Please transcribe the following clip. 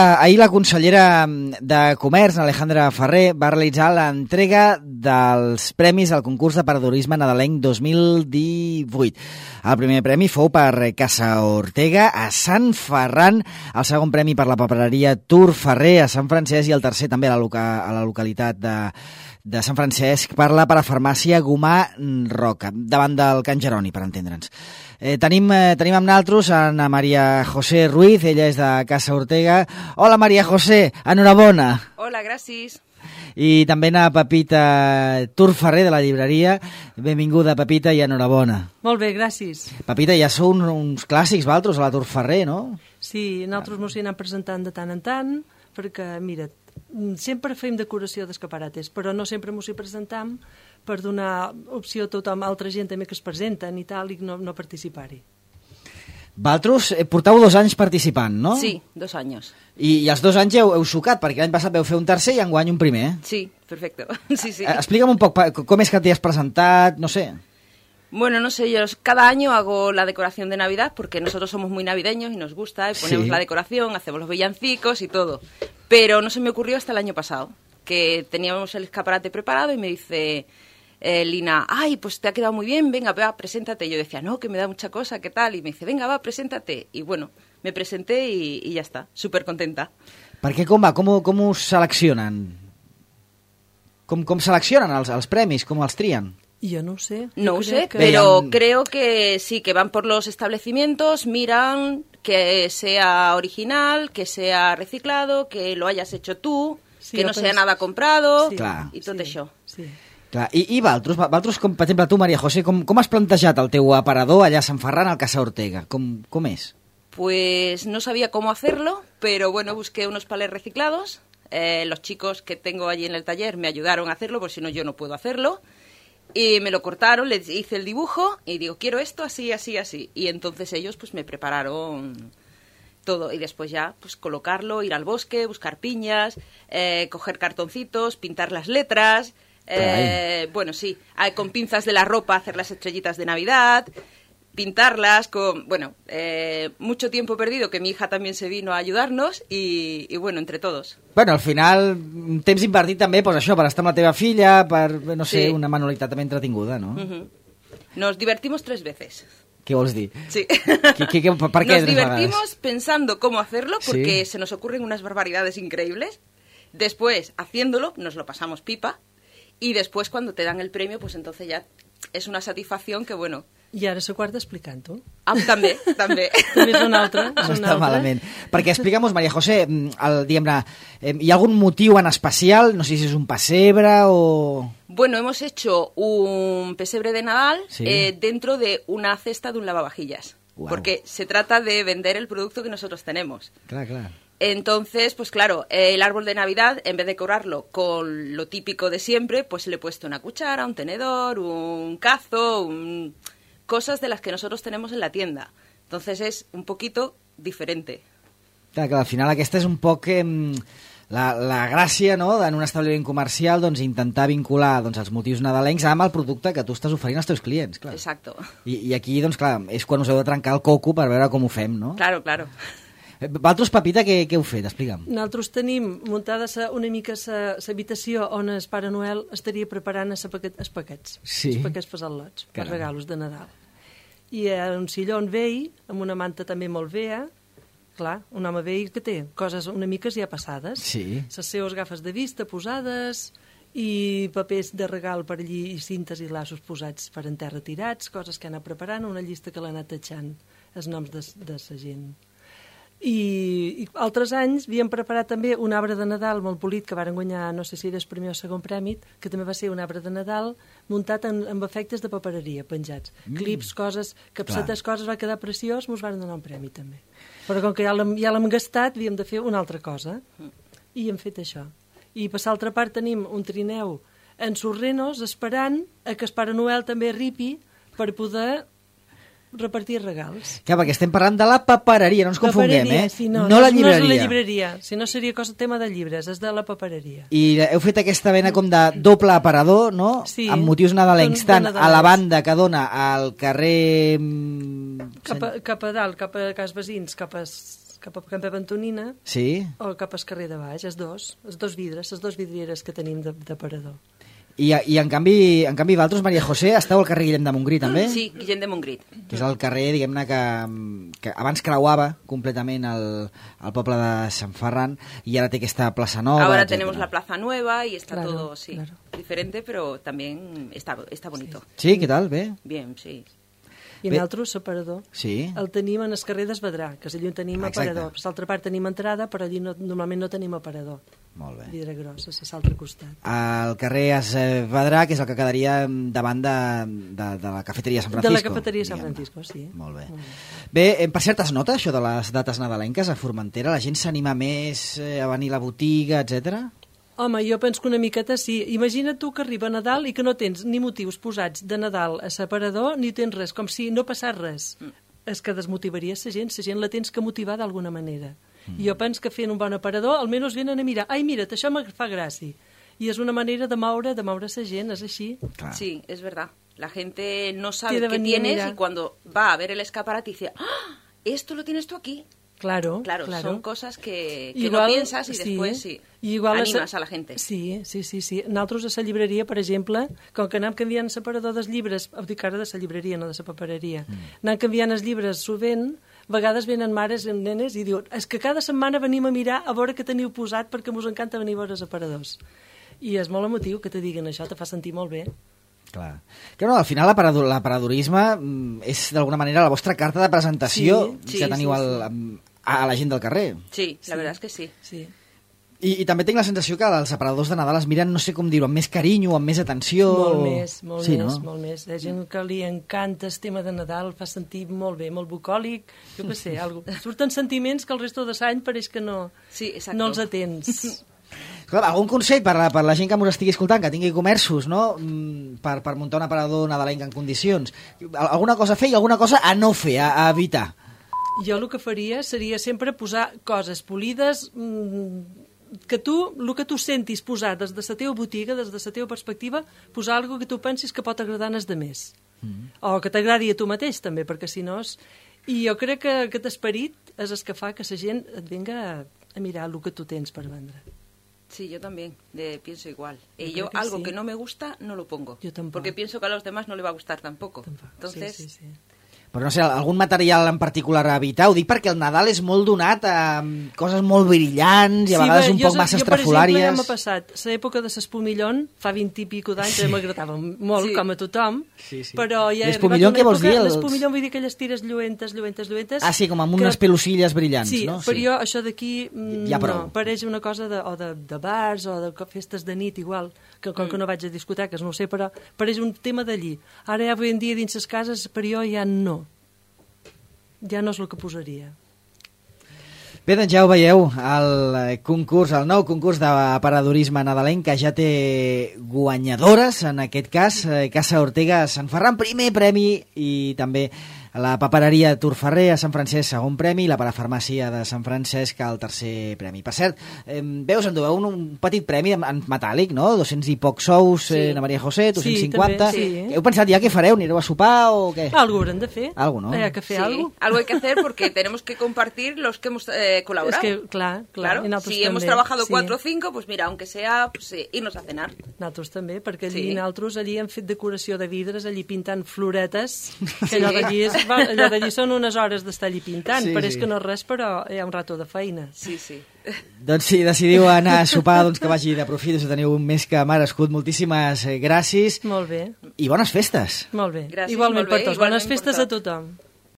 ahir la consellera de Comerç, Alejandra Ferrer, va realitzar l'entrega dels premis al concurs de paradorisme nadalenc 2018. El primer premi fou per Casa Ortega a Sant Ferran, el segon premi per la papereria Tur Ferrer a Sant Francesc i el tercer també a la localitat de Sant Francesc per la parafarmàcia Gomà Roca, davant del Can Jeroni, per entendre'ns. Tenim amb nosaltres Ana María José Ruiz, ella és de Casa Ortega. Hola, María José, enhorabona. Hola, gràcies. I també a Pepita Tur Ferrer de la llibreria. Benvinguda, Pepita, i enhorabona. Molt bé, gràcies. Pepita, ja sou uns clàssics, vosaltres, a la Tur Ferrer, no? Sí, nosaltres mos hi anem presentant de tant en tant, perquè, mira, sempre fem decoració d'escaparates, però no sempre mos hi presentam per donar opció a tothom, a altra gent també que es presenten i tal, i no participar-hi. Vosaltres porteu 2 anys participant, no? Sí, 2 anys. I els 2 anys heu sucat, perquè l'any passat vau fer un tercer i enguany un primer. Sí, perfecto. Sí, sí. Explica'm un poc com és que t'hi has presentat, no sé. Bueno, no sé, yo cada año hago la decoración de Navidad porque nosotros somos muy navideños y nos gusta y ponemos la decoración, hacemos los villancicos y todo. Pero no se me ocurrió hasta el año pasado, que teníamos el escaparate preparado y me dice Lina, ay, pues te ha quedado muy bien, venga, va, preséntate. Y yo decía, no, que me da mucha cosa, ¿qué tal? Y me dice, venga, va, preséntate. Y bueno, me presenté y ya está, súper contenta. Perquè com va? Com us seleccionen? Com seleccionen els premis? Com els trien? Yo no sé. No ho sé, pero creo que sí, que van por los establecimientos, miran que sea original, que sea reciclado, que lo hayas hecho tú, sí, que no sea nada comprado, sí, i tot això. Sí. Clar, i vosaltres, com per exemple tu, María José, com has plantejat el teu aparador allà a Sant Ferran, al Casa Ortega? Com és? Pues no sabía cómo hacerlo, pero bueno, busqué unos palés reciclados. Los chicos que tengo allí en el taller me ayudaron a hacerlo, porque si no yo no puedo hacerlo. Y me lo cortaron, les hice el dibujo y digo, quiero esto así, así, así. Y entonces ellos pues me prepararon todo. Y después ya pues colocarlo, ir al bosque, buscar piñas, coger cartoncitos, pintar las letras. Bueno, sí, con pinzas de la ropa hacer las estrellitas de Navidad, pintarlas con, bueno, mucho tiempo perdido, que mi hija también se vino a ayudarnos y bueno, entre todos. Bueno, al final, temps invertit també, pues això, per estar amb la teva filla, per, no sé, una manualitat també entretinguda, no? Nos divertimos 3 veces. ¿Qué vols dir? Sí. ¿Per què nos divertimos pensando cómo hacerlo, porque se nos ocurren unas barbaridades increíbles. Después, haciéndolo, nos lo pasamos pipa. Y después, cuando te dan el premio, pues entonces ya es una satisfacción que, bueno... I ara la quarta explicant-ho. Ah, també. També és una altra. No està malament. Perquè explica'm-nos, María José, diguem-ne, hi ha algun motiu en especial? No sé si és un pessebre o... Bueno, hemos hecho un pesebre de Nadal dentro de una cesta de un lavavajillas. Wow. Porque se trata de vender el producto que nosotros tenemos. Claro. Entonces, pues claro, el árbol de Navidad, en vez de decorarlo con lo típico de siempre, pues le he puesto una cuchara, un tenedor, un cazo, cosas de las que nosotros tenemos en la tienda. Entonces es un poquito diferente. Clar, que al final aquesta és un poc la gràcia, no?, en un establiment comercial, doncs, intentar vincular els motius nadalencs amb el producte que tu estàs oferint als teus clients. Clar. Exacto. I aquí, doncs, clar, és quan us heu de trencar el coco per veure com ho fem, no? Claro. Vosaltres, Pepita, què heu fet? Explica'm. Nosaltres tenim muntada una mica l'habitació on el Pare Noel estaria preparant els paquets. Sí. Els paquets per al·lots, per regalos de Nadal. I un sillon vell, amb una manta també molt vella, clar, un home vell que té coses una mica ja passades. Sí. Les seves gafes de vista posades i papers de regal per allí i cintes i laços posats per en terra tirats, coses que ha anat preparant, una llista que l'ha anat tachant, els noms de la gent. I altres anys havíem preparat també un arbre de Nadal molt polit que varen guanyar, no sé si era el primer o segon premi, que també va ser un arbre de Nadal muntat amb efectes de papereria penjats, clips, coses, capsetes, coses, va quedar preciós, mos van donar un premi també. Però com que ja l'hem gastat, havíem de fer una altra cosa i hem fet això. I per l'altra part tenim un trineu en sorrenos esperant que el Pare Noel també arribi per poder repartir regals. Clar, perquè estem parlant de la papereria, no ens confonguem, sí, no la llibreria. No és la llibreria, si no seria tema de llibres, és de la papereria. I heu fet aquesta vena com de doble aparador, no? Sí. Amb motius nadalencs, tant a la banda que dona al carrer... Cap a dalt, cap a Cas Basins, cap a cap a Can Pep Antonina Sí? o cap al carrer de baix, els dos vidres, les dos vidrieres que tenim d'aparador. I en canvi vosaltres, Maria José, esteu al carrer Guillem de Montgrí, també? Sí, Guillem de Montgrí. Que és el carrer, diguem-ne, que abans creuava completament el poble de Sant Ferran i ara té aquesta plaça nova. Ahora etcétera. tenemos la plaza nueva y está Claro, todo, sí, claro. diferente, pero también está bonito. Sí, què tal? Bé? Bien, sí. I Bé. nosaltres, l'aparador, Sí? el tenim en el carrer d'Esvedrà, que allí on tenim Exacte. aparador. Per l'altra part tenim entrada, però allí normalment no tenim aparador. Molt bé. Vidre gros, a l'altre costat. Al carrer Esvedrà, que és el que quedaria davant de la cafeteria Sant Francisco. De la cafeteria Sant diguem-ne. Francisco, sí. Molt bé. Bé, per cert, es nota això de les dates nadalenques a Formentera? La gent s'anima més a venir a la botiga, etc. Home, jo penso que una miqueta sí. Imagina't tu que arriba Nadal i que no tens ni motius posats de Nadal a l'aparador ni tens res, com si no passés res. És que desmotivaria la gent la tens que motivar d'alguna manera. I jo penso que fent un bon aparador almenys venen a mirar, ai, mira't, això me fa gràcia. I és una manera de moure la gent, és així. Clar. Sí, es verdad. La gente no sabe Tiene qué venir a tienes mirar. y cuando va a ver el escaparate dice, ¡ah! Esto lo tienes tú aquí. Claro. Son cosas que Igual, no piensas y después sí, I igual animas a la gente. Sí. Nosaltres a la llibreria, per exemple, com que anem canviant l'aparador dels llibres, dic ara de la llibreria, no de la papereria, anem canviant els llibres sovint, a vegades venen mares i nenes i diuen és que cada setmana venim a mirar a veure què teniu posat perquè us encanta venir a veure els aparadors. I és molt emotiu que te diguin això, te fa sentir molt bé. Clar. Que no, al final l'aparadorisme és d'alguna manera la vostra carta de presentació Sí, que teniu a la gent del carrer. Sí, la verdad es que sí. Sí. I també tinc la sensació que els aparadors de Nadal es miren, no sé com dir-ho, amb més carinyo, amb més atenció... Molt més. Hi ha gent que li encanta el tema de Nadal, fa sentir molt bé, molt bucòlic, jo què sé, surten sentiments que el resto de l'any pareix que no els atens. Clar, algun consell per la gent que m'ho estigui escoltant, que tingui comerços, no? Per muntar un aparador nadalenc en condicions. Alguna cosa a fer i alguna cosa a no fer, a evitar. Jo el que faria seria sempre posar coses polides, el que tu sentis posar des de la teva botiga, des de la teva perspectiva, posar alguna que tu pensis que pot agradar als demés. O que t'agradi a tu mateix, també, perquè si no... I jo crec que aquest esperit és el que fa que la gent et venga a mirar el que tu tens per vendre. Sí, yo también pienso igual. Yo Yo creo que algo sí. que no me gusta, no lo pongo. Yo tampoco. Porque pienso que a los demás no le va a gustar tampoco. Entonces, Sí. Però no sé, algun material en particular a evitar? Ho dic perquè el Nadal és molt donat a coses molt brillants i a vegades un poc massa estrafolàries. Jo, per exemple, ja m'ha passat l'època de l'espumillón, fa 20 i pico d'anys, que m'agradava molt, com a tothom, però ja he arribat L'espumillón, què vols dir? L'espumillón vull dir aquelles tires lluentes. Ah, sí, com amb unes pelucilles brillants, sí, no? Sí, però jo això d'aquí ja prou. no, pareix una cosa de bars o de festes de nit igual, que com que no vaig a discoteques, no ho sé, però pareix un tema d'allí. Ara ja avui en dia dins les cases, per jo ja no. Ja no és el que posaria. Bé, doncs ja ho veieu, el nou concurs d'aparadorisme nadalenc, que ja té guanyadores, en aquest cas, Casa Ortega Sant Ferran, primer premi, i també la papereria Turferrer a Sant Francesc, segon premi, i la parafarmàcia de Sant Francesc, el tercer premi. Per cert, veus, enduveu un petit premi en metàl·lic, no? 200 i pocs sous, Ana Maria José, 250. Sí, també, sí. Heu pensat ja què fareu? Anireu a sopar o què? Algo haurem de fer. Algo, ¿no? Hay que fer algo. Algo hay que hacer porque tenemos que compartir los que hemos colaborado. Es que, claro. Si hemos trabajado 4 o 5, pues mira, aunque sea pues, irnos a cenar. Nosaltres també, perquè nosaltres allí hem fet decoració de vidres, allí pintant floretes, que allò d'allí són unes hores d'estar allí pintant. Pareix que no és res, però hi ha un rato de feina. Sí. Doncs si decidiu anar a sopar, doncs que vagi de profit, us teniu més que merescut. Moltíssimes gràcies. Molt bé. I bones festes. Molt bé. Gràcies, Igualment molt bé, per tots. igualment Bones festes per a tothom.